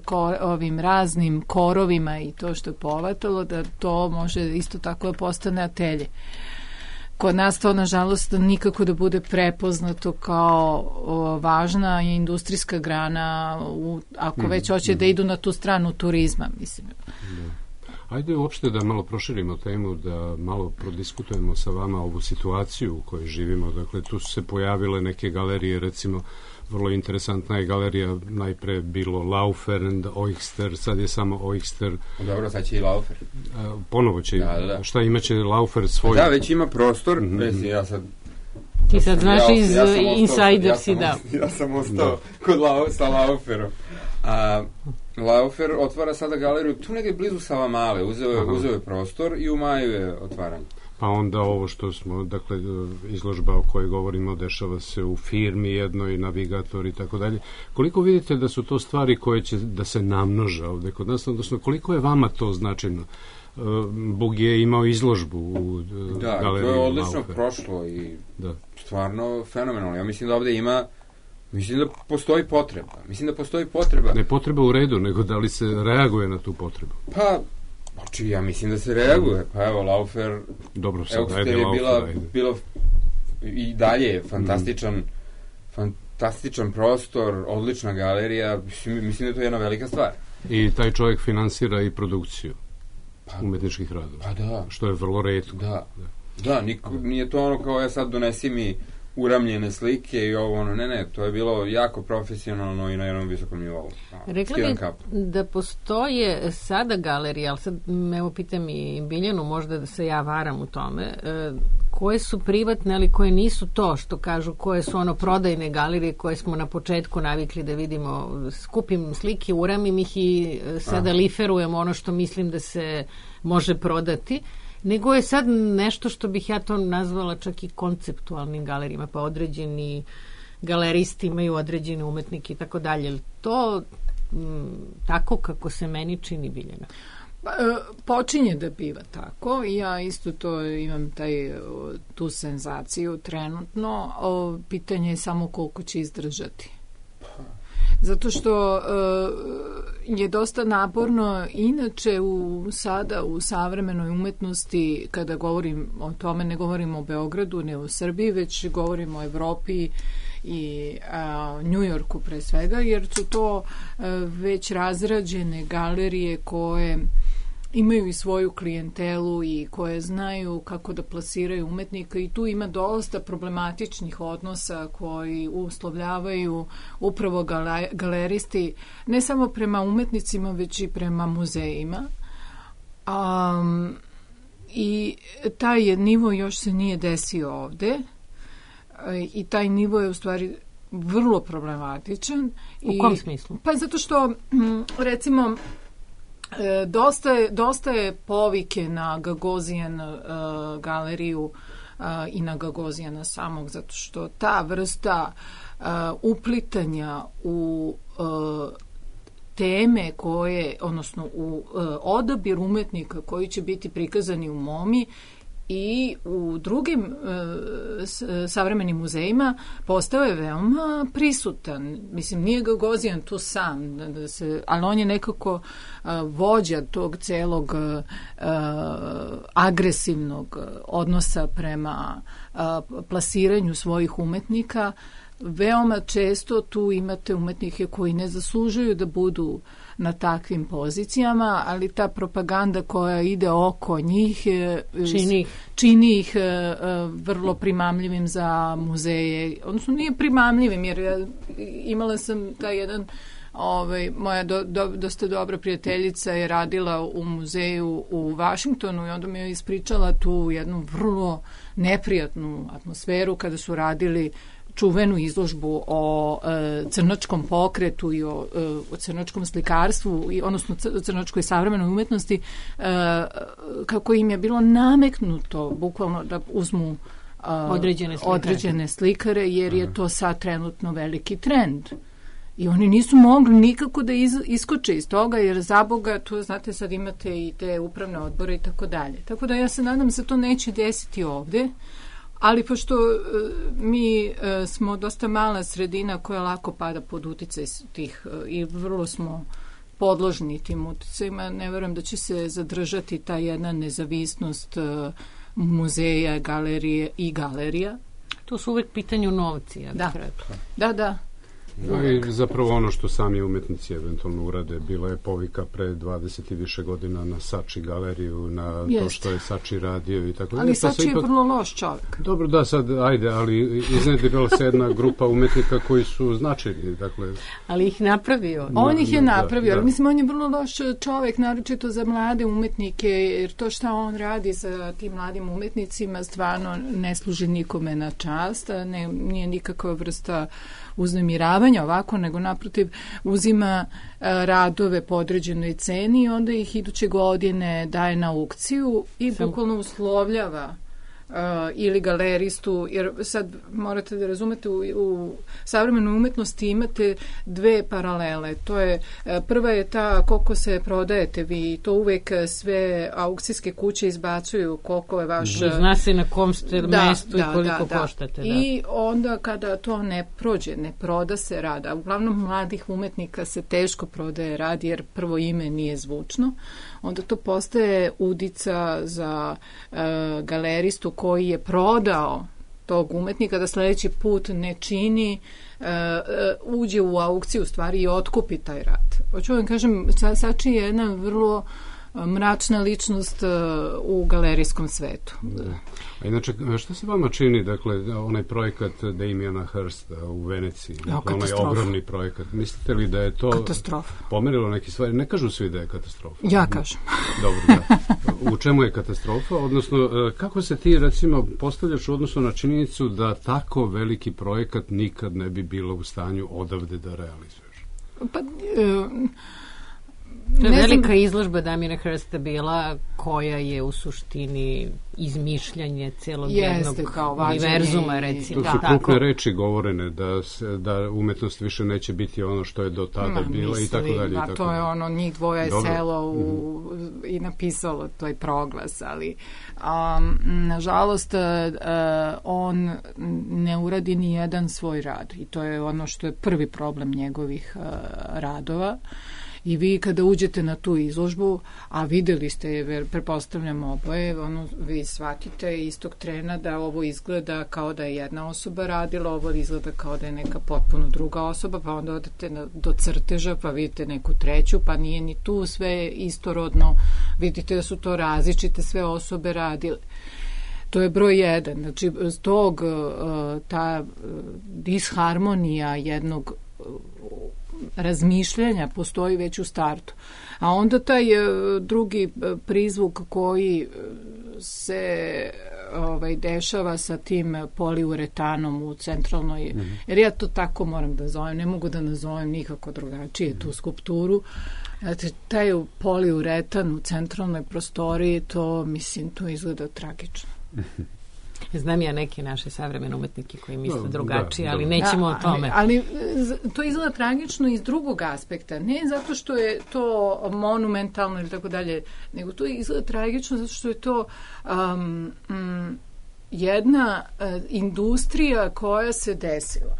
ko, ovim raznim korovima i to što je poletalo, da to može isto tako da postane atelje. Kod nas to, nažalost, nikako da bude prepoznato kao o, važna industrijska grana, u, ako mm, već hoće mm. da idu na tu stranu turizma, mislim. Da. Ajde uopšte da malo proširimo temu, da malo prodiskutujemo sa vama ovu situaciju u kojoj živimo. Dakle, tu su se pojavile neke galerije, recimo, vrlo interesantna je galerija, najpre bilo Laufer and Oyster, sad je samo Oyster. Dobro, sad će i Laufer. A, ponovo će, da, da, da. Šta imaće Laufer svoj? Da, već ima prostor, mm-hmm. Već, ja sad... Ti sad znaš ja, iz ja Insider si dao. Ja sam ostao kod Lau, sa Lauferom. A Laufer otvara sada galeriju tu negdje blizu Savamale, uzeo je, uzeo je prostor i u maju je otvaranje. Pa onda ovo što smo, dakle, izložba o kojoj govorimo dešava se u firmi jednoj, Navigator i tako dalje. Koliko vidite da su to stvari koje će da se namnoža ovde kod nas, odnosno koliko je vama to značajno? Bug je imao izložbu u da, galeriji. Da, to je odlično Laufer. Prošlo i da. Stvarno fenomenalno. Ja mislim da ovde ima, mislim da postoji potreba. Mislim da postoji potreba. Ne potreba u redu, nego da li se reaguje na tu potrebu? Pa, oči, ja mislim da se reaguje. Pa evo, Laufer, dobro, sad, evo, ajde, je Laufer, bila, ajde. bila i dalje je fantastičan, mm. fantastičan prostor, odlična galerija. Mislim, mislim da je to jedna velika stvar. I taj čovjek finansira i produkciju pa, umetničkih radova. Pa da. Što je vrlo retko. Da, da. Da, niko, nije to ono kao ja sad donesi mi uramljene slike i ovo ono, ne, ne, to je bilo jako profesionalno i na jednom visokom nivou. Rekla bih da postoje sada galerije, ali sad evo pitam i Biljanu, možda da se ja varam u tome, e, koje su privatne, ali koje nisu to što kažu, koje su ono prodajne galerije koje smo na početku navikli da vidimo, skupim slike, uramim ih i sada Aha. liferujem ono što mislim da se može prodati, nego je sad nešto što bih ja to nazvala čak i konceptualnim galerijama, pa određeni galeristi imaju određene umetnike i tako dalje. To m, tako kako se meni čini, Biljana? Pa, počinje da biva tako i ja isto to imam taj, tu senzaciju trenutno. O, pitanje je samo koliko će izdržati. Zato što uh, je dosta naporno inače u, sada u savremenoj umetnosti, kada govorim o tome, ne govorim o Beogradu, ne o Srbiji, već govorim o Evropi i uh, Njujorku pre svega, jer su to uh, već razrađene galerije koje imaju i svoju klijentelu i koje znaju kako da plasiraju umetnika i tu ima dosta problematičnih odnosa koji uslovljavaju upravo gale, galeristi ne samo prema umetnicima već i prema muzejima. Um, i taj nivo još se nije desio ovde i taj nivo je u stvari vrlo problematičan. U I, kom smislu? Pa zato što recimo E, dosta, je, dosta je povike na Gagosian uh, galeriju uh, i na Gagosiana samog, zato što ta vrsta uh, uplitanja u uh, teme koje, odnosno u uh, odabir umetnika koji će biti prikazani u MoMI i u drugim e, s, savremenim muzejima postao je veoma prisutan. Mislim, nije Gagosian tu sam, da, da se, ali on je nekako a, vođa tog celog a, agresivnog odnosa prema a, plasiranju svojih umetnika veoma često tu imate umetnike koji ne zaslužuju da budu na takvim pozicijama, ali ta propaganda koja ide oko njih čini ih, čini ih vrlo primamljivim za muzeje. Odnosno nije primamljivim, jer ja imala sam taj jedan Ovaj, moja do, do, dosta dobra prijateljica je radila u muzeju u Vašingtonu i onda mi je ispričala tu jednu vrlo neprijatnu atmosferu kada su radili čuvenu izložbu o e, crnočkom pokretu i o, e, o crnočkom slikarstvu, i, odnosno o crnočkoj savremenoj umetnosti, e, kako im je bilo nameknuto bukvalno da uzmu e, određene slikare. određene slikare, jer je to sad trenutno veliki trend. I oni nisu mogli nikako da iz, iskoče iz toga, jer za Boga, tu znate, sad imate i te upravne odbore i tako dalje. Tako da ja se nadam se to neće desiti ovde, ali pošto e, mi e, smo dosta mala sredina koja lako pada pod uticaj tih e, i vrlo smo podložni tim uticajima, ne verujem da će se zadržati ta jedna nezavisnost e, muzeja, galerije i galerija. To su uvek pitanju novci, ja bih da. rekla. Da, da. No i zapravo ono što sami umetnici eventualno urade, bila je povika pre dvadeset i više godina na Sači galeriju, na Jest. to što je Sači radio i tako dalje. Ali Sači je ipak vrlo loš čovjek. Dobro, da, sad, ajde, ali iznedrila se jedna grupa umetnika koji su značajni, dakle... Ali ih napravio. Na, on ih je napravio, da, ali da. Mislim, on je vrlo loš čovjek, naročito za mlade umetnike, jer to šta on radi sa tim mladim umetnicima stvarno ne služi nikome na čast, ne, nije nikakva vrsta uznemiravanja ovako, nego naprotiv uzima a, radove po određenoj ceni i onda ih iduće godine daje na aukciju i Sam... bukvalno uslovljava Uh, ili galeristu, jer sad morate da razumete, u, u savremenoj umetnosti imate dve paralele. To je, uh, prva je ta koliko se prodajete vi, to uvek sve aukcijske kuće izbacuju koliko je vaš... Zna se na kom ste da, mestu da, i koliko da, koštate. Da. I onda kada to ne prođe, ne proda se rad, a uglavnom mladih umetnika se teško prodaje rad, jer prvo ime nije zvučno, onda to postaje udica za uh, galeristu koji je prodao tog umetnika da sledeći put ne čini, uh, uh, uđe u aukciju stvari i otkupi taj rad. Hoću vam kažem, Sači je jedna vrlo mračna ličnost uh, u galerijskom svetu. Da. A inače, šta se vama čini, dakle, onaj projekat Damiana Hirsta u Veneciji, dakle, onaj ogromni projekat, mislite li da je to katastrofa. Pomerilo neke stvari? Ne kažu svi da je katastrofa. Ja kažem. Dobro, da. U čemu je katastrofa? Odnosno, kako se ti, recimo, postavljaš u odnosu na činjenicu da tako veliki projekat nikad ne bi bilo u stanju odavde da realizuješ? Pa... Uh, To je velika izložba Damiana Hirsta bila, koja je u suštini izmišljanje celog jednog univerzuma, recimo. To su krupne reči govorene, da, se, da umetnost više neće biti ono što je do tada Ma, bila misli, i tako dalje. Pa to je ono, njih dvoje je selo u, mm-hmm. i napisalo toj proglas, ali um, nažalost uh, on ne uradi ni jedan svoj rad i to je ono što je prvi problem njegovih uh, radova. I vi kada uđete na tu izložbu, a videli ste je, prepostavljamo oboje, ono, vi shvatite istog trena da ovo izgleda kao da je jedna osoba radila, ovo izgleda kao da je neka potpuno druga osoba, pa onda odete na, do crteža, pa vidite neku treću, pa nije ni tu sve istorodno, vidite da su to različite sve osobe radile. To je broj jedan. Znači, s tog ta disharmonija jednog razmišljanja postoji već u startu. A onda taj drugi prizvuk koji se ovaj, dešava sa tim poliuretanom u centralnoj, mm-hmm. jer ja to tako moram da zovem, ne mogu da nazovem nikako drugačije mm-hmm. tu skulpturu. Znači, taj poliuretan u centralnoj prostoriji, to, mislim, to izgleda tragično. Znam ja neke naše savremene umetnike koji misle no, drugačije, da, ali da. nećemo da, o tome. Ali, ali to izgleda tragično iz drugog aspekta. Ne zato što je to monumentalno ili tako dalje, nego to izgleda tragično zato što je to um, um, jedna uh, industrija koja se desila.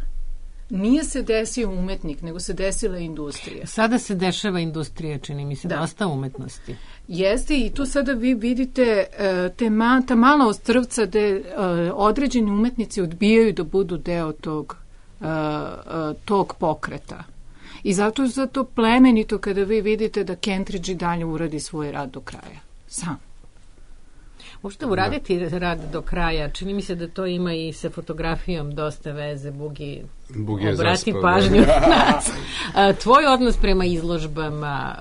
Nije se desio umetnik, nego se desila industrija. Sada se dešava industrija, čini mi se, da. dosta umetnosti. Jeste i tu sada vi vidite uh, te ma, ta mala ostrvca gde uh, određeni umetnici odbijaju da budu deo tog uh, uh, tog pokreta. I zato je zato plemenito kada vi vidite da Kentridge i dalje uradi svoj rad do kraja. Sam. Možete uraditi da. rad do kraja. Čini mi se da to ima i sa fotografijom dosta veze. Bugi, Bugi obrati pažnju na nas. Tvoj odnos prema izložbama,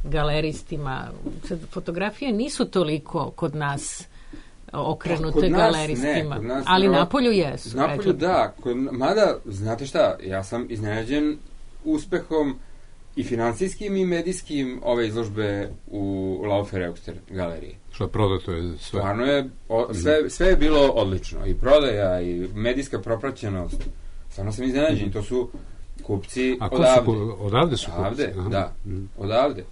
galeristima, fotografije nisu toliko kod nas okrenute kod nas, galeristima, ne, nas, ali na napolju jesu. Napolju da, kod, mada, znate šta, ja sam iznenađen uspehom i finansijskim i medijskim ove izložbe u Laufer-Eugster galeriji. Što prodato je sve? Stvarno je, o, sve, sve je bilo odlično. I prodaja, i medijska propraćenost. Stvarno sam iznenađen. Mm. To su kupci A odavde. Su, odavde su odavde, kupci? Aha. Da, mm. odavde.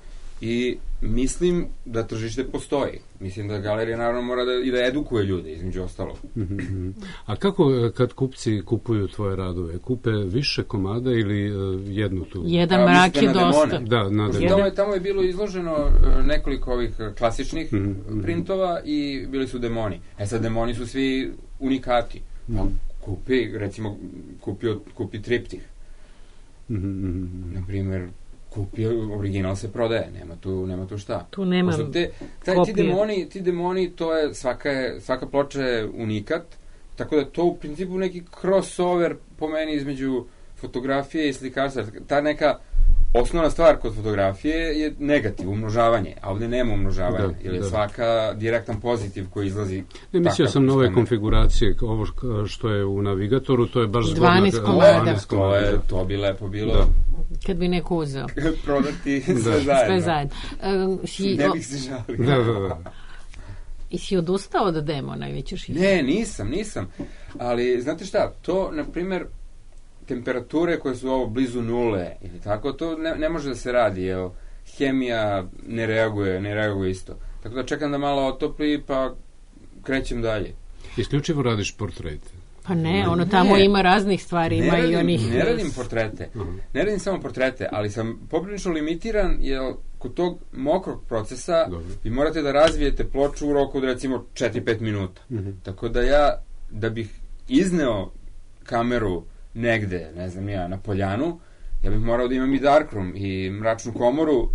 I mislim da tržište postoji. Mislim da galerija naravno mora da, i da edukuje ljude, između ostalog. Mm-hmm. A kako kad kupci kupuju tvoje radove? Kupe više komada ili uh, jednu tu? Jedan A, mrak je dosta. Da, na tamo, je, tamo je bilo izloženo nekoliko ovih klasičnih mm-hmm. printova i bili su demoni. E sad, demoni su svi unikati. Mm-hmm. Kupi, recimo, kupio, kupi triptih. Mm-hmm. Naprimjer, kupi, original se prodaje, nema tu, nema tu šta. Tu nema te, taj, ti demoni, ti demoni, to je, svaka, je, svaka ploča je unikat, tako da to u principu neki crossover po meni između fotografije i slikarstva. Ta neka osnovna stvar kod fotografije je negativ, umnožavanje, a ovde nema umnožavanja, da, jer je da. svaka direktan pozitiv koji izlazi. Ne, mislio sam na ove konfiguracije, ovo što je u navigatoru, to je baš dvanaest komada. To, je, to bi lepo bilo. Da. Kad bi neko uzeo. Prodati sve da. zajedno. Sve zajedno. Um, si, ne bih se žalio. Da, da, da. I si odustao od demona i već još i... Ne, nisam, nisam. Ali, znate šta, to, na primer, temperature koje su ovo blizu nule ili tako, to ne, ne može da se radi, jer hemija ne reaguje, ne reaguje isto. Tako da čekam da malo otopli, pa krećem dalje. Isključivo radiš portrete? Pa ne, ono tamo ne, ima raznih stvari, ima radim, i onih... Ne radim portrete, uh-huh. ne radim samo portrete, ali sam poprilično limitiran, jer kod tog mokrog procesa Dobre. vi morate da razvijete ploču u roku od recimo četiri do pet minuta. Uh-huh. Tako da ja, da bih izneo kameru negde, ne znam ja, na poljanu, ja bih morao da imam i darkroom i mračnu komoru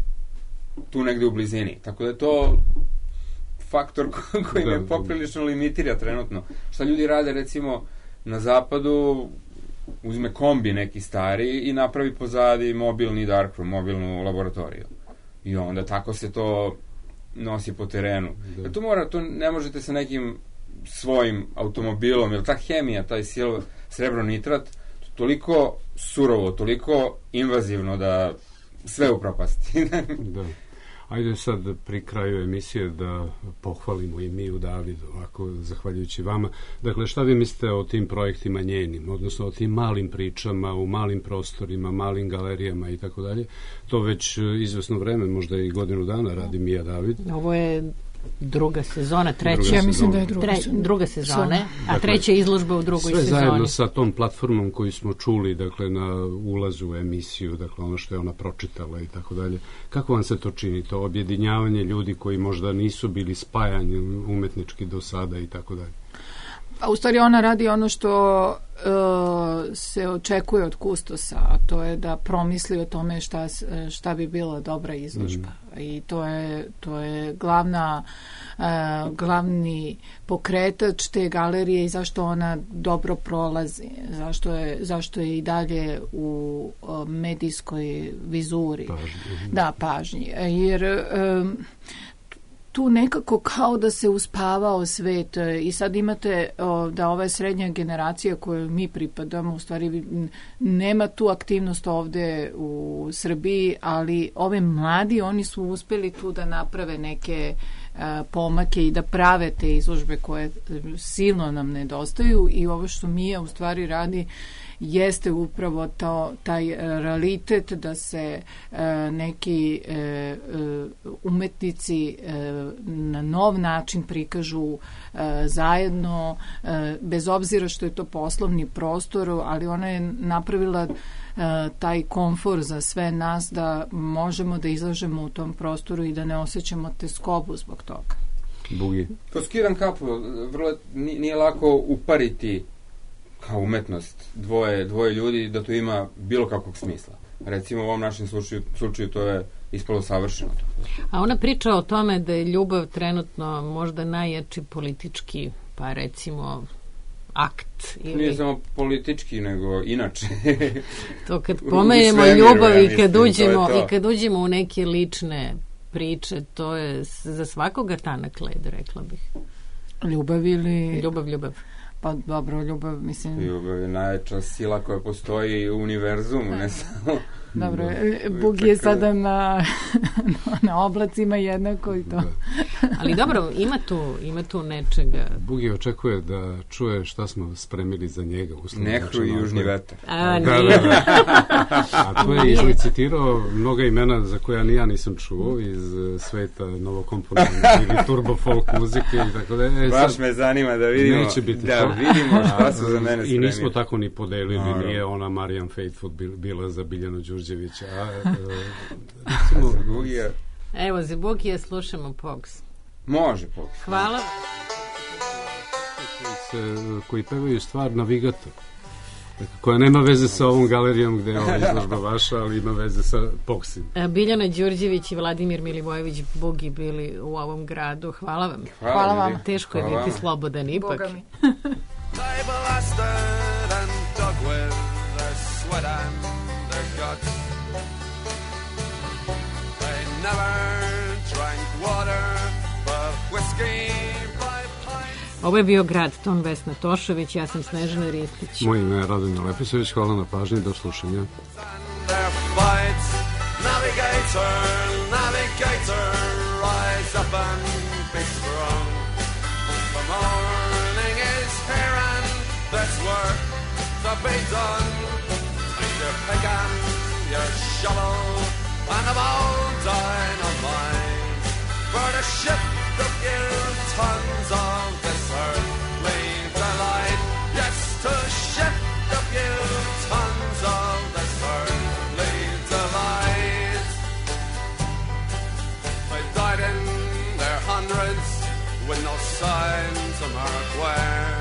tu negde u blizini. Tako da je to faktor ko, koji da, me poprilično limitira trenutno. Šta ljudi rade, recimo, na zapadu, uzme kombi neki stari i napravi pozadi mobilni darkroom, mobilnu laboratoriju. I onda tako se to nosi po terenu. Da. To mora, to ne možete sa nekim svojim automobilom, jer ta hemija, taj silver, srebronitrat, toliko surovo, toliko invazivno da sve upropasti. Da. Ajde sad pri kraju emisije da pohvalimo i mi u Davidu, ovako, zahvaljujući vama. Dakle, šta vi mislite o tim projektima njenim, odnosno o tim malim pričama, u malim prostorima, malim galerijama i tako dalje? To već izvesno vreme, možda i godinu dana radi Mija David. Ovo je druga sezona, treća. Druga ja mislim da je druga, Tre, druga sezone, a dakle, treća izložba u drugoj sve sezoni. Sve zajedno sa tom platformom koju smo čuli, dakle, na ulazu u emisiju, dakle, ono što je ona pročitala i tako dalje. Kako vam se to čini, to objedinjavanje ljudi koji možda nisu bili spajani umetnički do sada i tako dalje? A u stvari ona radi ono što uh, se očekuje od kustosa, a to je da promisli o tome šta, šta bi bila dobra izložba. Mm. I to je, to je glavna, uh, glavni pokretač te galerije i zašto ona dobro prolazi, zašto je, zašto je i dalje u uh, medijskoj vizuri. Pažnji. Da, pažnji. Jer... Um, tu nekako kao da se uspavao svet i sad imate o, da ova srednja generacija koju mi pripadamo, u stvari nema tu aktivnost ovde u Srbiji, ali ove mladi, oni su uspeli tu da naprave neke a, pomake i da prave te izložbe koje silno nam nedostaju i ovo što Mija u stvari radi jeste upravo to, taj realitet da se e, neki e, umetnici e, na nov način prikažu e, zajedno, e, bez obzira što je to poslovni prostor, ali ona je napravila e, taj komfor za sve nas da možemo da izlažemo u tom prostoru i da ne osjećamo teskobu zbog toga. Bugi. To skidam kapu, vrlo nije lako upariti kao umetnost dvoje, dvoje ljudi, da to ima bilo kakvog smisla. Recimo u ovom našem slučaju, slučaju to je ispalo savršeno. A ona priča o tome da je ljubav trenutno možda najjači politički, pa recimo akt. Ili... Nije samo politički, nego inače. To kad pomenemo ljubav i kad uđemo, to to. i kad uđemo u neke lične priče, to je za svakoga tanak led, rekla bih. Ljubav ili... Ljubav, ljubav. Pa dobro, ljubav, mislim... Ljubav je najjača sila koja postoji u univerzumu, ne samo... Dobro, Bug je sada na, na oblacima jednako i to. Da. Ali dobro, ima tu, ima tu nečega. Bugi očekuje da čuje šta smo spremili za njega. Nehru i južni vetar. A, da, nije. Da, da. A to je izlicitirao mnoga imena za koja ni ja nisam čuo iz sveta novokomponentne ili turbo folk muzike i tako da. E, Baš sad, me zanima da vidimo, neće biti da to. vidimo šta su za mene spremili. I nismo tako ni podelili, no, nije ona Marijan Faithful bila za Biljanu Đurđevića. A, a, recimo, Bugija. Evo, za Bugija slušamo Pogs. Može Pogs. Hvala. Koji, koji pevaju stvar Navigator, koja nema veze sa ovom galerijom gde je ova izložba vaša, ali ima veze sa Pogsim. Biljana Đurđević i Vladimir Milivojević Bugi bili u ovom gradu. Hvala vam. Hvala, Hvala vam. Teško je Hvala biti vam. Slobodan ipak. Boga mi. Ovo je bio Grad ton, Vesna Tošović, ja sam Snežana Ristić. Moje ime je Radomir Lepisović, hvala na pažnji, do slušanja. Navigator, navigator, rise up and be strong. The morning is here and there's work to be done. Take your pick and your shovel and a bold dynamite for the ship to give tons of this earthly delight. Yes, to ship to give tons of this earthly delight. They died in their hundreds with no sign to mark where.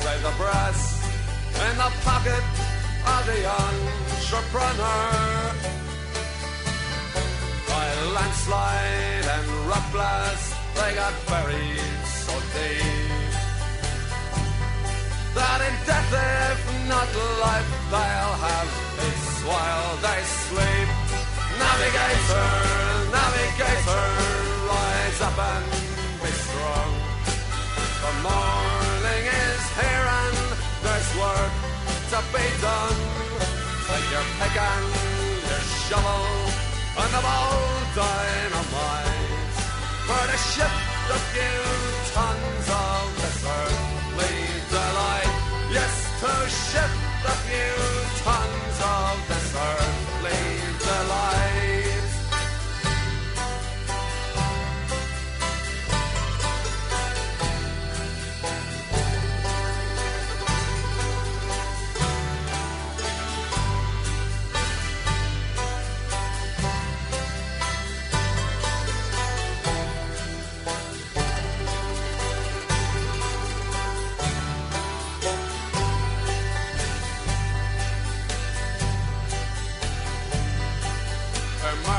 Say the brass in the pocket of the entrepreneur. By landslide and rock blast, they got buried so deep that in death, if not life, they'll have peace while they sleep. Navigator, navigator, rise up and be strong. The morning is here and there's work to be done. Take your pick and your shovel and the bold dynamite for the ship to give tons of this earthly delight. Yes, to ship the few tons of this earthly delight.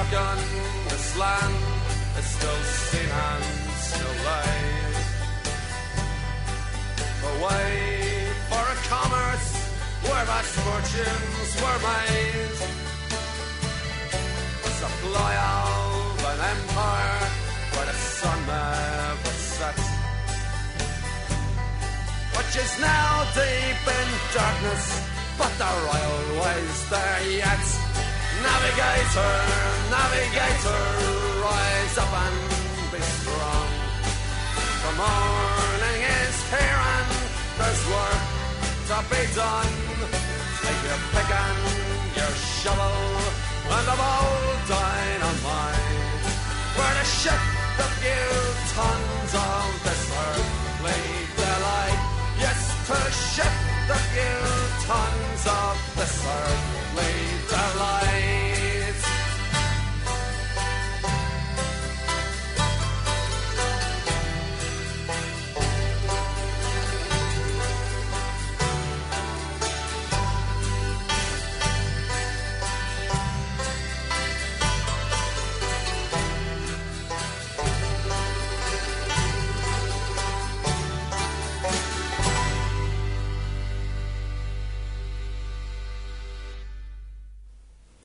On this land is still seen and still laid. The way for a commerce where vast fortunes were made. A supply of an empire where the sun never sets, which is now deep in darkness, but the royal way's there yet. Navigator, navigator, rise up and be strong. The morning is here and there's work to be done. Take your pick and your shovel and the